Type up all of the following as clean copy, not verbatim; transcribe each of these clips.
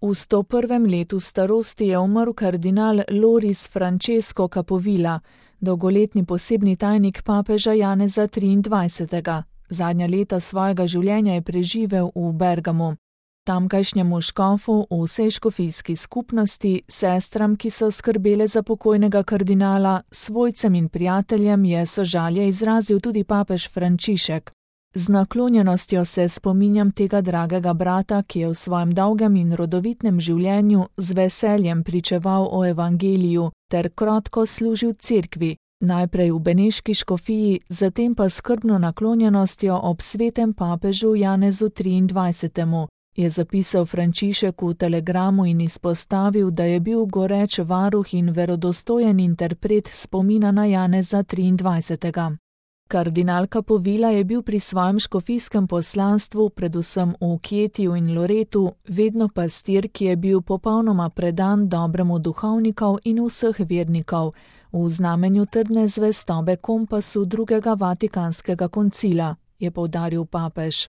V 101. letu starosti je umrl kardinal Loris Francesco Capovilla, dolgoletni posebni tajnik papeža Janeza 23. Zadnja leta svojega življenja je preživel v Bergamu. Tamkajšnjemu škofu, vsej škofijski skupnosti, sestram, ki so skrbele za pokojnega kardinala, svojcem in prijateljem je sožalje izrazil tudi papež Frančišek. Z naklonjenostjo se spominjam tega dragega brata, ki je v svojem dolgem in rodovitnem življenju z veseljem pričeval o evangeliju ter krotko služil cerkvi, najprej v beneški škofiji, zatem pa skrbno naklonjenostjo ob svetem papežu Janezu 23. je zapisal Frančišek v telegramu in izpostavil, da je bil goreč varuh in verodostojen interpret spomina na Janeza 23. Kardinal Capovilla je bil pri svojem škofijskem poslanstvu, predvsem v Chietiju in Loretu, vedno pastir, ki je bil popolnoma predan dobremu duhovnikov in vseh vernikov, v znamenju trdne zvestobe kompasu drugega vatikanskega koncila, je poudaril papež.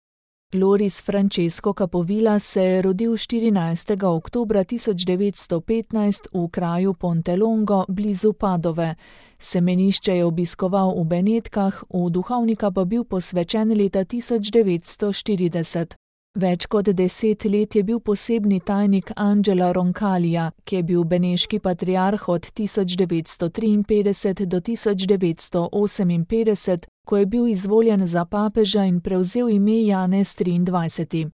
Loris Francesco Capovilla se je rodil 14. oktobra 1915 v kraju Pontelongo blizu Padove. Semenišče je obiskoval v Benetkah, v duhovnika pa bil posvečen leta 1940. Več kot 10 let je bil posebni tajnik Angela Roncalija, ki je bil beneški patriarh od 1953 do 1958, ko je bil izvoljen za papeža in prevzel ime Janez 23.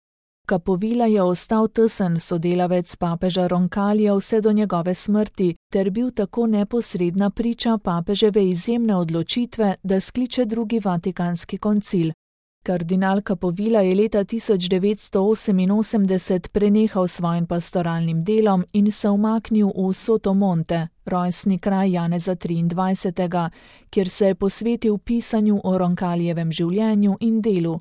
Capovilla je ostal tesen sodelavec papeža Roncalija vse do njegove smrti ter bil tako neposredna priča papeževe izjemne odločitve, da skliče drugi vatikanski koncil. Kardinal Capovilla je leta 1988 prenehal svojim pastoralnim delom in se umaknil v Sotomonte, rojstni kraj Janeza 23., kjer se je posvetil pisanju o Roncalijevem življenju in delu.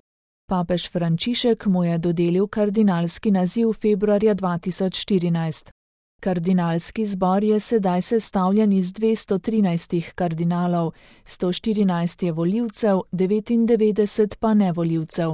Papež Frančišek mu je dodelil kardinalski naziv februarja 2014. Kardinalski zbor je sedaj sestavljen iz 213 kardinalov, 114 je volivcev, 99 pa nevolivcev.